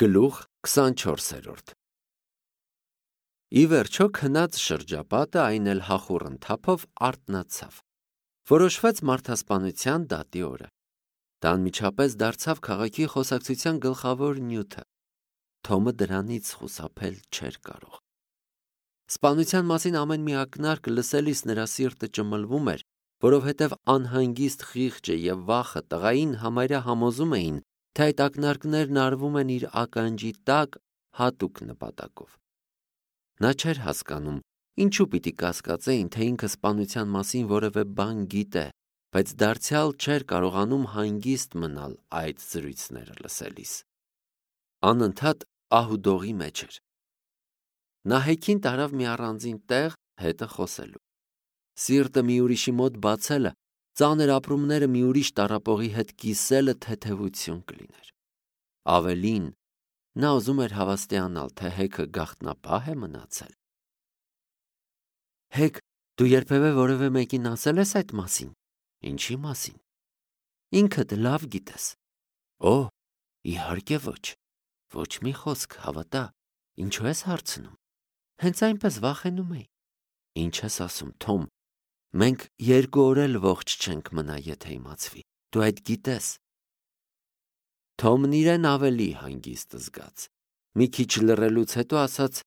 Գլուխ 24 Ի վերջո քնած շրջապատը այն էլ հախուռ ընթափով արթնացավ։ Որոշվեց մարդասպանության դատի օրը։ Դա անմիջապես դարձավ քաղաքի խոսակցության գլխավոր նյութը։ Թոմը դրանից խուսափել չէր կարող։ Սպանության մասին ամեն մի ակնարկ լսելիս նրա սիրտը ճմլվում էր, որովհետև անհանգիստ խիղճը և վախը տղային համարյա համոզում էին, թե այդ ակնարկներն արվում են իր ականջի տակ հատուկ նպատակով։ Նա չէր հասկանում, ինչու պիտի կասկածեին, թե ինքը սպանության մասին որևէ բան գիտե, բայց դարձյալ չէր կարողանում հանգիստ մնալ այդ զրույցները լսելիս։ Անընդհատ ահուդողի մեջ էր։ Նա հեքիմ տարավ մի առանձին տեղ հետը խոսելու։ Սիրտը մի ուրիշի մոտ բացելը, ծանր ապրումները մի ուրիշ տառապողի հետ կիսելը թեթևություն կլիներ։ Ավելին, նա ուզում էր հավաստիանալ, թե Հեքը գաղտնապահ է մնացել։ Հեկ, դու երբևէ որևէ մեկին ասել ես այդ մասին։ Ինչի մասին։ Ինքդ լավ գիտես։ Օ, իհարկե ոչ։ Ոչ մի խոսք, հավատա։ Ինչու ես հարցնում։ Հենց այնպես վախենում էի։ Ինչ ես ասում, Թոմ։ Մենք 2 օր էլ ողջ չենք մնա, եթե իմացվի։ Դու այդ գիտես։ Թոմն իրեն ավելի հանգիստ զգաց։ Մի քիչ լռելուց հետո ասաց.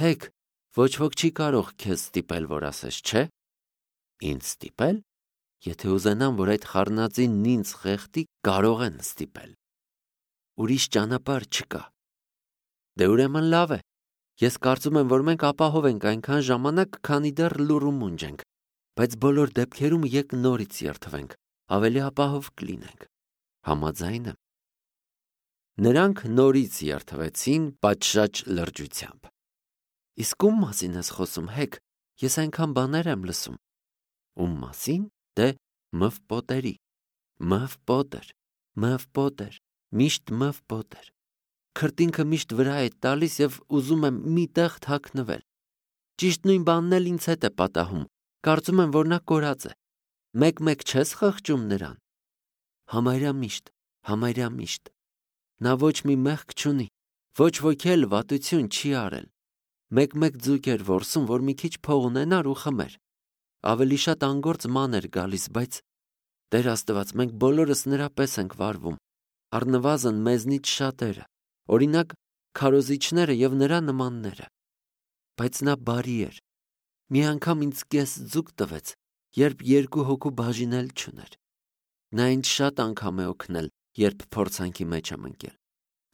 Հեկ, ոչ ոք չի կարող քեզ ստիպել, որ ասես, չէ։ Ինձ ստիպել։ Եթե ուզենան, որ այդ խառնածինն ինձ խեղդի, կարող են ստիպել։ Ուրիշ ճանապարհ չկա։ Դե ուրեմն լավ է։ Ես կարծում եմ, որ մենք ապահով ենք այնքան ժամանակ, քանի դեռ լուռ ու մունջ ենք, բայց բոլոր դեպքերում եք նորից երդվենք, ավելի ապահով կլինենք։ Համաձայն եմ։ Նրանք նորից երդվեցին պատշաճ լրջությամբ։ Իսկ ում մասին ես խոսում, Հեկ, ես այնքան բաներ եմ լսում։ Ում մասին։ Դե Մըվպոտերի։ Մըվպոտեր, միշտ Մըվպոտեր։ Քրտինքը միշտ վրա է տալիս և ուզում եմ մի տեղ թաքնվել։ Ճիշտ նույն բանն էլ ինձ հետ է պատահում։ Կարծում եմ, որ նա կորած է։ Մեկ-մեկ չես խղճում նրան։ Համարյա միշտ։ Նա ոչ մի մեղք չունի, ոչ ոք էլ վատություն չի արել։ Մեկ-մեկ ձուկ էր որսում, որ մի քիչ փող ունենար ու խմեր։ Ավելի շատ անգործ ման էր գալիս, բայց Տեր Աստված, մենք բոլորս նրա պես ենք վարվում, առնվազն մեզնից շատերը, օրինակ քարոզիչները և նրա նմանները։ Բայց նա բարի էր։ Մի անգամ ինձ կես ձուկ տվեց, երբ 2 հոգու բաժինել չուներ։ Նա ինձ շատ անգամ է օգնել, երբ փորձանքի մեջ եմ ընկել։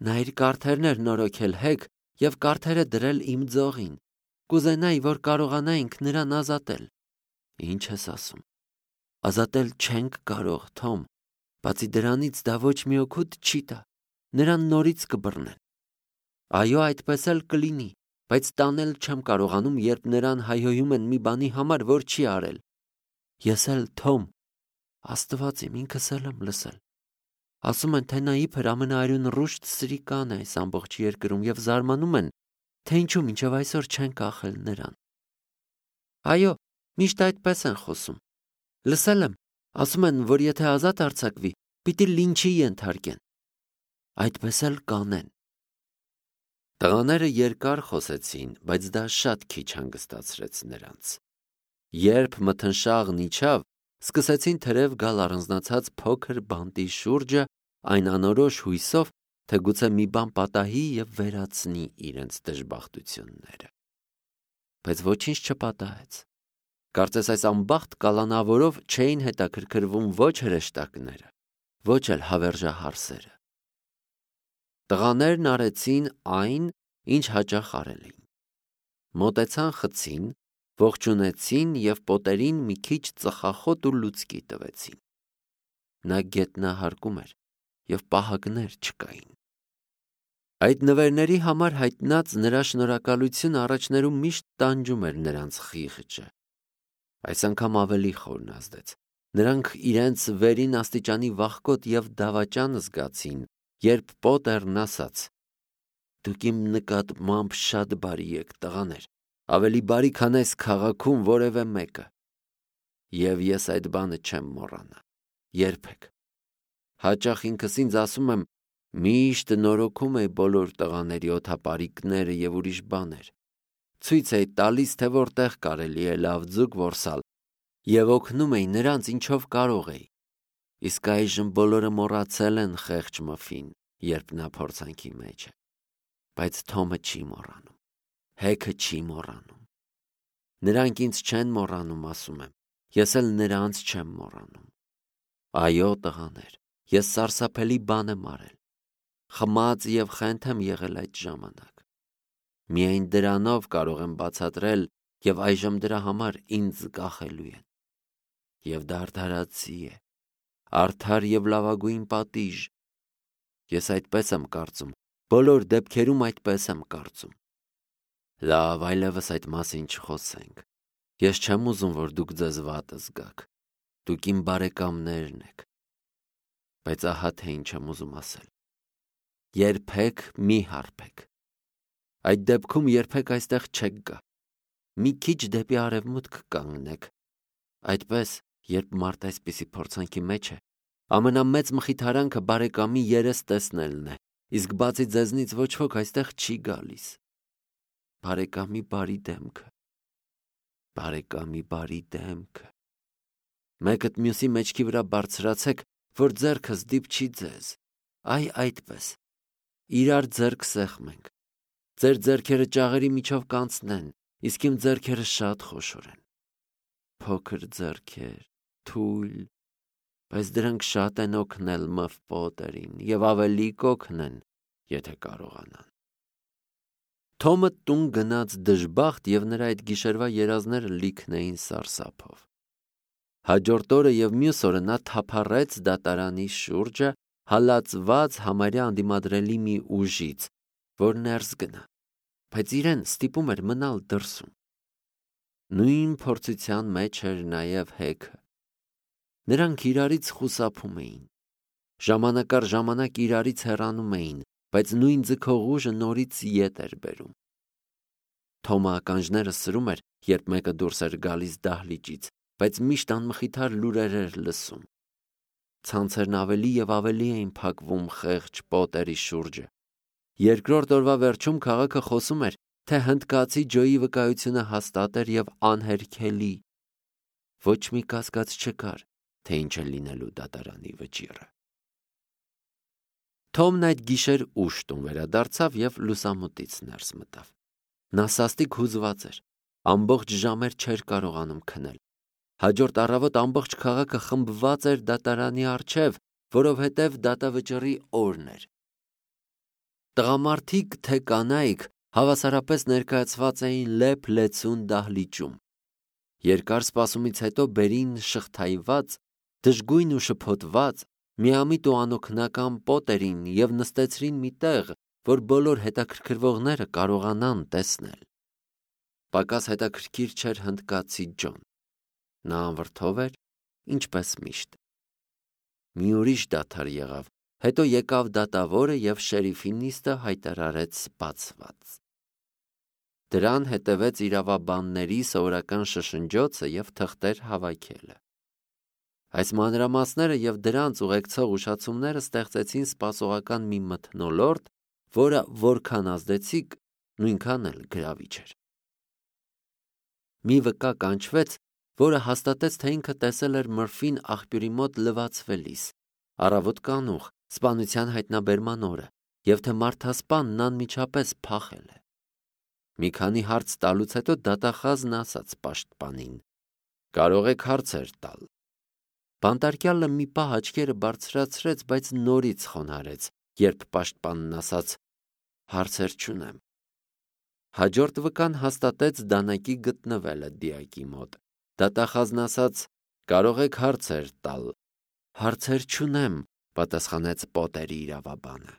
Նա իր կարթերն էր նորոգել, Հեկ, և կարթերը դրել իմ ձողին։ Կուզենայի, որ կարողանայինք նրան ազատել։ Ինչ ես ասում։ Ազատել չենք կարող, Թոմ։ Բացի դրանից դա ոչ մի օգուտ չի տա։ Նրան նորից կբռնեն։ Այո, այդպես էլ կլինի, բայց տանել չեմ կարողանում, երբ նրան հայհոյում են մի բանի համար, որ չի արել։ Ես էլ, Թոմ, Աստված իմ, ինքս էլ եմ լսել։ Ասում են, թե նա իբր ամենաարյունռուշտ սրիկան է այս ամբողջ երկրում և զարմանում են, թե ինչու մինչև այսօր չեն կախել նրան։ Այո, միշտ այդպես են խոսում։ Լսել եմ, ասում են, որ եթե ազատ արձակվի, պիտի լինչի ենթարկեն։ Այդպես էլ կանեն։ Տղաները երկար խոսեցին, բայց դա շատ քիչ հանգստացրեց նրանց։ Երբ մթնշաղն իջավ, սկսեցին թրև գալ առանձնացած փոքր բանտի շուրջը, այն անորոշ հույսով, թե գուցե մի բան պատահի և վերացնի իրենց դժբախտությունները։ Բայց ոչինչ չպատահեց։ Կարծես այս անբախտ կալանավորով չէին հետաքրքրվում ոչ հրեշտակները, ոչ էլ հավերժահարսերը։ Տղաներն արեցին այն, ինչ հաճախ արել էին։ Մոտեցան խցին, ողջունեցին և պատերին մի քիչ ծխախոտ ու լուցկի տվեցին։ Նա գետնահարկում էր և պահակներ չկային։ Այդ նվերների համար հայտնած նրա շնորհակալությունը առաջներում միշտ տանջում էր նրանց խիղճը։ Այս անգամ ավելի խորն ազդեց։ Նրանք իրենց վերին աստիճանի վախկոտ և դավաճան զգացին, երբ Պոտերն ասաց. Դուք իմ նկատմամբ շատ բարի եք, տղաներ, ավելի բարի, քան այս քաղաքում որևէ մեկը։ Եվ ես այդ բանը չեմ մոռանա։ Երբեք։ Հաճախ ինքս ինձ ասում եմ, Միշտ նորոգում էի բոլոր տղաների օդապարիկները և ուրիշ բաներ։ Ցույց էի տալիս, թե որտեղ կարելի է լավ ձուկ որսալ և օգնում էի նրանց ինչով կարող էի։ Իսկ այժմ բոլորը մոռացել են խեղճ Մըֆին, երբ նա փորձանքի մեջ է։ Բայց Թոմը չի մոռանում, Հեքը չի մոռանում։ Նրանք ինձ չեն մոռանում, ասում եմ, ես էլ նրանց չեմ մոռանում։ Այո, տղաներ, ես սարսափելի բան եմ արել։ Խմած և խենթ եմ եղել այդ ժամանակ։ Միայն դրանով կարող եմ բացատրել և այժմ դրա համար ինձ կախելու են։ Եվ դա արդարացի է, արդար և լավագույն պատիժ։ Ես այդպես եմ կարծում, բոլոր դեպքերում այդպես եմ կարծում։ Լավ, այլևս այդ մասին չխոսենք։ Ես չեմ ուզում, որ դուք ձեզ վատ զգաք։ Դուք իմ բարեկամներն եք։ Բայց ահա թե ինչ եմ ուզում ասել։ Երբեք մի հարբեք։ Այդ դեպքում երբեք այստեղ չեք գա։ Մի քիչ դեպի արևմուտք կանգնեք։ Այդպես, երբ մարդ այսպիսի փորձանքի մեջ է, ամենամեծ մխիթարանքը բարեկամի երես տեսնելն է, իսկ բացի ձեզնից ոչ ոք այստեղ չի գալիս։ Բարեկամի բարի դեմքը։ Բարեկամի բարի դեմքը։ Մեկդ մյուսի մեջքի վրա բարձրացեք, որ ձեռքս դիպչի ձեզ։ Այ այդպես։ Իրար ձեռք սեղմենք։ Ձեր ձեռքերը ճաղերի միջով կանցնեն, իսկ իմ ձեռքերը շատ խոշոր են։ Փոքր ձեռքեր, թույլ, բայց դրանք շատ են օգնել Մըֆ Պոտերին և ավելի կօգնեն, եթե կարողանան։ Թոմը տուն գնաց դժբախտ և նրա այդ գիշերվա երազները լիքն էին սարսափով։ Հաջորդ օրը և մյուս օրը նա թափառեց դատարանի շուրջը, հալածված համարյա անդիմադրելի մի ուժից, որ ներս գնա, բայց իրեն ստիպում էր մնալ դրսում։ Նույն փորձության մեջ էր նաև Հեքը։ Նրանք իրարից խուսափում էին։ Ժամանակ առ ժամանակ իրարից հեռանում էին, բայց նույն ձգող ուժը նորից ետ էր բերում։ Թոմը ականջները սրում էր, երբ մեկը դուրս էր գալիս դահլիճից, բայց միշտ անմխիթար լուրեր էր լսում։ Ցանցերն ավելի և ավելի էին փակվում խեղճ Պոտերի շուրջը։ Երկրորդ օրվա վերջում քաղաքը խոսում էր, թե հնդկացի Ջոյի վկայությունը հաստատ էր և անհերքելի։ Ոչ մի կասկած չկար, թե ինչ է լինելու դատարանի վճիռը։ Թոմն այդ գիշեր ուշ տուն վերադարձավ և լուսամուտից ներս մտավ։ Նա սաստիկ հուզված էր, ամբողջ ժամեր չէր կարողանում քնել։ Հաջորդ առավոտ ամբողջ քաղաքը խմբված էր դատարանի առջև, որովհետև դատավճռի օրն էր։ Տղամարդիկ թե կանայք հավասարապես ներկայացված էին լեփ-լեցուն դահլիճում։ Երկար սպասումից հետո բերին շղթայված, դժգույն ու շփոթված, միամիտ ու անօգնական Պոտերին և նստեցրին մի տեղ, որ բոլոր հետաքրքրվողները կարողանան տեսնել։ Պակաս հետաքրքիր չէր հնդկացի Ջոն։ Նա անվրդով էր, ինչպես միշտ։ Մի ուրիշ դադար եղավ, հետո եկավ դատավորը և շերիֆի նիստը հայտարարեց բացված։ Դրան հետևեց իրավաբանների սովորական շշնջոցը և թղթեր հավաքելը։ Այս մանրամասները և դրանց ուղեկցող ուշացումները ստեղծեցին սպասողական մի մթնոլորտ, որը որքան ազդեցիկ, նույնքան էլ գրավիչ էր։ Մի վկա կանչվեց, որը հաստատեց, թե ինքը տեսել էր Մըրֆին աղբյուրի մոտ լվացվելիս, առավոտ կանուխ, սպանության հայտնաբերման օրը, և թե մարդասպանն անմիջապես փախել է։ Մի քանի հարց տալուց հետո դատախազն ասաց պաշտպանին. «Կարող եք հարցեր տալ»։ Բանտարկյալը մի պահ աչքերը բարձրացրեց, բայց նորից խոնարհեց, երբ պաշտպանն ասաց. «Հարցեր չունեմ»։ Հաջորդ վկան հաստատեց դանակի գտնվելը դիակի մոտ։ Դատախազն ասաց. «Կարող եք հարցեր տալ»։ «Հարցեր չունեմ», պատասխանեց Պոտերի իրավաբանը։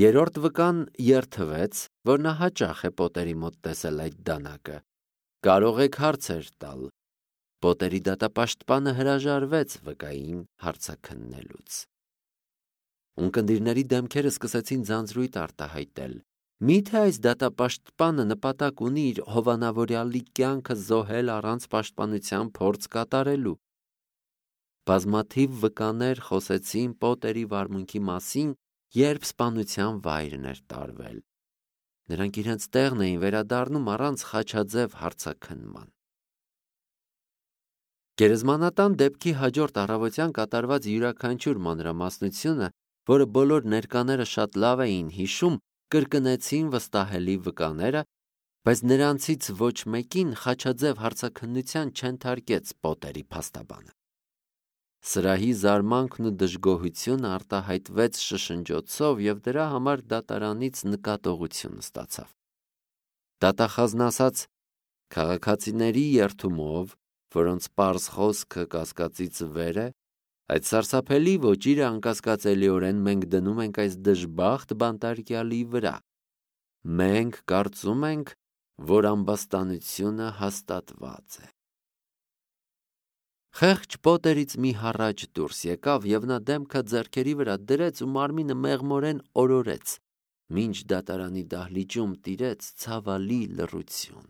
Երրորդ վկան երդվեց, որ նա հաճախ է Պոտերի մոտ տեսել այդ դանակը։ «Կարող եք հարցեր տալ»։ Պոտերի դատապաշտպանը հրաժարվեց վկային հարցաքննելուց։ Ունկնդիրների դեմքերը սկսեցին ձանձրույթ արտահայտել։ Մի՞թե այս դատապաշտպանը նպատակ ունի իր հովանավորյալի կյանքը զոհել առանց պաշտպանության փորձ կատարելու։ Բազմաթիվ վկաներ խոսեցին Պոտերի վարմունքի մասին, երբ սպանության վայրն էր տարվել։ Նրանք իրենց տեղն էին վերադառնում առանց խաչաձև հարցաքննման։ Գերեզմանատան դեպքի հաջորդ առավոտյան կատարված յուրաքանչյուր մանրամասնությունը, որը բոլոր ներկաները շատ լավ էին հիշում, կրկնեցին վստահելի վկաները, բայց նրանցից ոչ մեկին խաչաձև հարցաքննության չենթարկեց Պոտերի փաստաբանը։ Սրահի զարմանքն ու դժգոհությունը արտահայտվեց շշնջոցով և դրա համար դատարանից նկատողություն ստացավ։ Դատախազն ասաց. քաղաքացիների երդումով, որոնց պարզ խոսքը կասկածից վեր է, այդ սարսափելի ոճիրը անկասկածելիորեն մենք դնում ենք այս դժբախտ բանտարկյալի վրա։ Մենք կարծում ենք, որ ամբաստանությունը հաստատված է։ Խեղճ Պոտերից մի հառաչ դուրս եկավ և նա դեմքը ձեռքերի վրա դրեց ու մարմինը մեղմորեն օրորեց, մինչ դատարանի դահլիճում տիրեց ցավալի լռություն։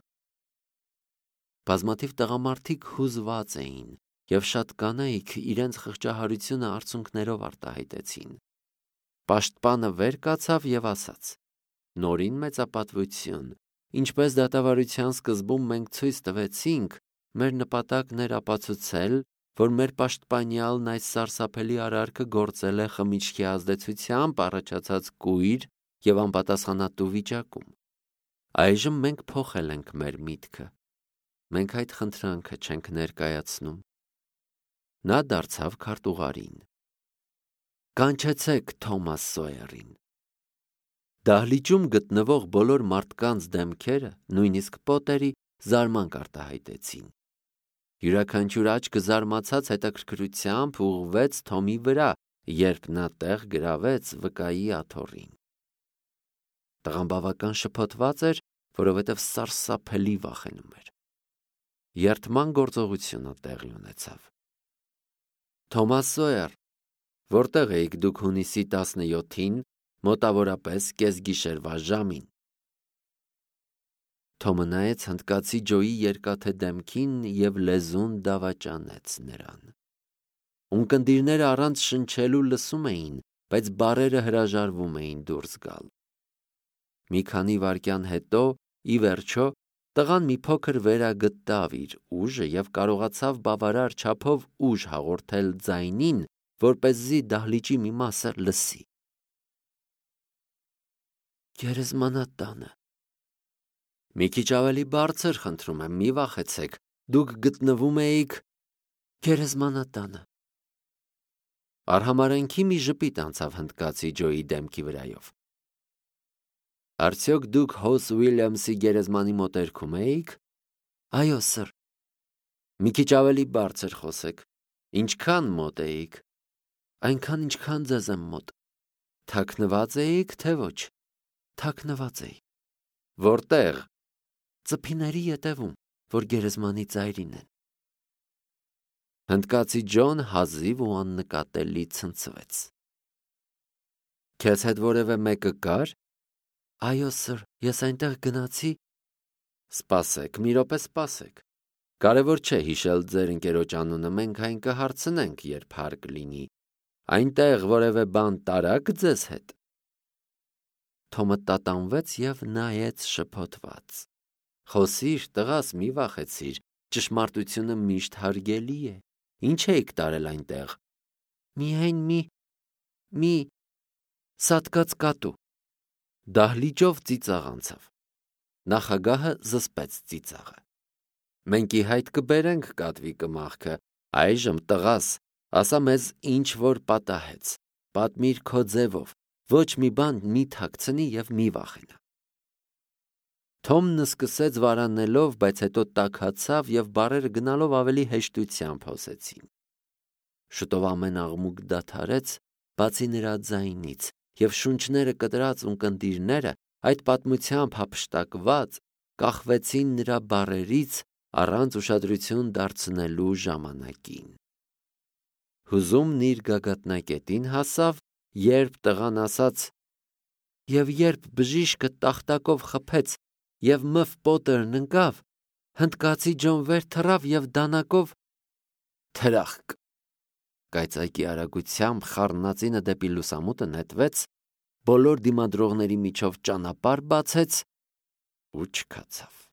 Բազմաթիվ տղամարդիկ հուզված էին, և շատ կանայք իրենց խղճահարությունը արցունքներով արտահայտեցին։ Պաշտպանը վեր կացավ և ասաց. նորին մեծապատվություն, ինչպես դատավարության սկզբում մենք ցույց տվեցինք, մեր նպատակն էր ապացուցել, որ մեր պաշտպանյալն այս սարսափելի արարքը գործել է խմիչքի ազդեցությամբ առաջացած կույր և անպատասխանատու վիճակում։ Այժմ մենք փոխել ենք մեր միտքը։ Մենք այդ խնդրանքը չենք ներկայացնում։ Նա դարձավ քարտուղարին. կանչեցեք Թոմաս Սոյերին։ Դահլիճում գտնվող բոլոր մարդկանց դեմքերը, նույնիսկ Պոտերի, զարմանք արտահայտեցին։ Յուրաքանչյուր աչքը զարմացած հետաքրքրությամբ ուղղվեց Թոմի վրա, երբ նա տեղ գրավեց վկայի աթոռին։ Տղան բավական շփոթված էր, որովհետև սարսափելի վախենում էր։ Երդման գործողությունը տեղի ունեցավ։ Թոմաս Սոյեր, որտեղ էիք դուք հունիսի 17-ին, մոտավորապես կեսգիշերվա ժամին։ Թոմը նայեց հնդկացի Ջոյի երկաթե դեմքին և լեզուն դավաճանեց նրան։ Ունկնդիրները առանց շնչելու լսում էին, բայց բառերը հրաժարվում էին դուրս գալ։ Մի քանի վայրկյան հետո, ի վերջո, տղան մի փոքր վերագտավ իր ուժը և կարողացավ բավարար չափով ուժ հաղորդել ձայնին, որպեսզի դահլիճի մի մասը լսի։ Գերեզմանատանը։ Մի քիչ ավելի բարձր, խնդրում եմ, մի վախեցեք, դուք գտնվում էիք գերեզմանատանը։ Արհամարհանքի մի ժպիտ անցավ հնդկացի Ջոյի դեմքի վրայով։ Արդյոք դուք Հոս Ուիլյամսի գերեզմանի մոտերքում էիք։ Այո, սըր։ Մի քիչ ավելի բարձր խոսեք։ Ինչքան մոտ էիք։ Այնքան, ինչքան ձեզ եմ մոտ։ Թաքնված էիք, թե ոչ։ Թաքնված էի։ Որտեղ։ Ծփիների ետևում, որ գերեզմանի ծայրին են։ Հնդկացի Ջոն հազիվ ու աննկատելի ցնցվեց։ Քեզ հետ որևէ մեկը կար։ Այո, սըր, ես այնտեղ գնացի։ Սպասեք, մի րոպե սպասեք։ Կարևոր չէ հիշել ձեր ընկերոջ անունը, մենք այն կհարցնենք, երբ հարկ լինի։ Այնտեղ որևէ բան տարաք ձեզ հետ։ Թոմը տատանվեց և նայեց շփոթված։ Խոսիր, տղաս, մի վախեցիր, ճշմարտությունը միշտ հարգելի է։ Ինչ էիք տարել այնտեղ։ Միայն մի սատկած կատու։ Դահլիճով ծիծաղ անցավ։ Նախագահը զսպեց ծիծաղը։ Մենք ի հայտ կբերենք կատվի կմախքը, այժմ տղաս, ասա մեզ ինչ որ պատահեց, պատմիր քո ձևով, ոչ մի բան մի թաքցնի և մի վախենա։ Թոմն սկսեց վարանելով, բայց հետո տաքացավ և բառերը գնալով ավելի հեշտությամբ հոսեցին։ Շուտով ամեն աղմուկ դադարեց, բացի նրա ձայնից, և շունչները կտրած ունկնդիրները, այդ պատմությամբ հափշտակված, կախվեցին նրա բառերից առանց ուշադրություն դարձնելու ժամանակին։ Հուզումն իր գագաթնակետին հասավ, երբ տղան ասաց. Եվ երբ բժիշկը տախտակով խփեց և Մ.Ֆ. Պոտերն ընկավ, հնդկացի Ջոն վեր թռավ և դանակով թրախկ։ Կայծակի արագությամբ խառնածինը դեպի լուսամուտը նետվեց, բոլոր դիմադրողների միջով ճանապարհ բացեց ու չքացավ։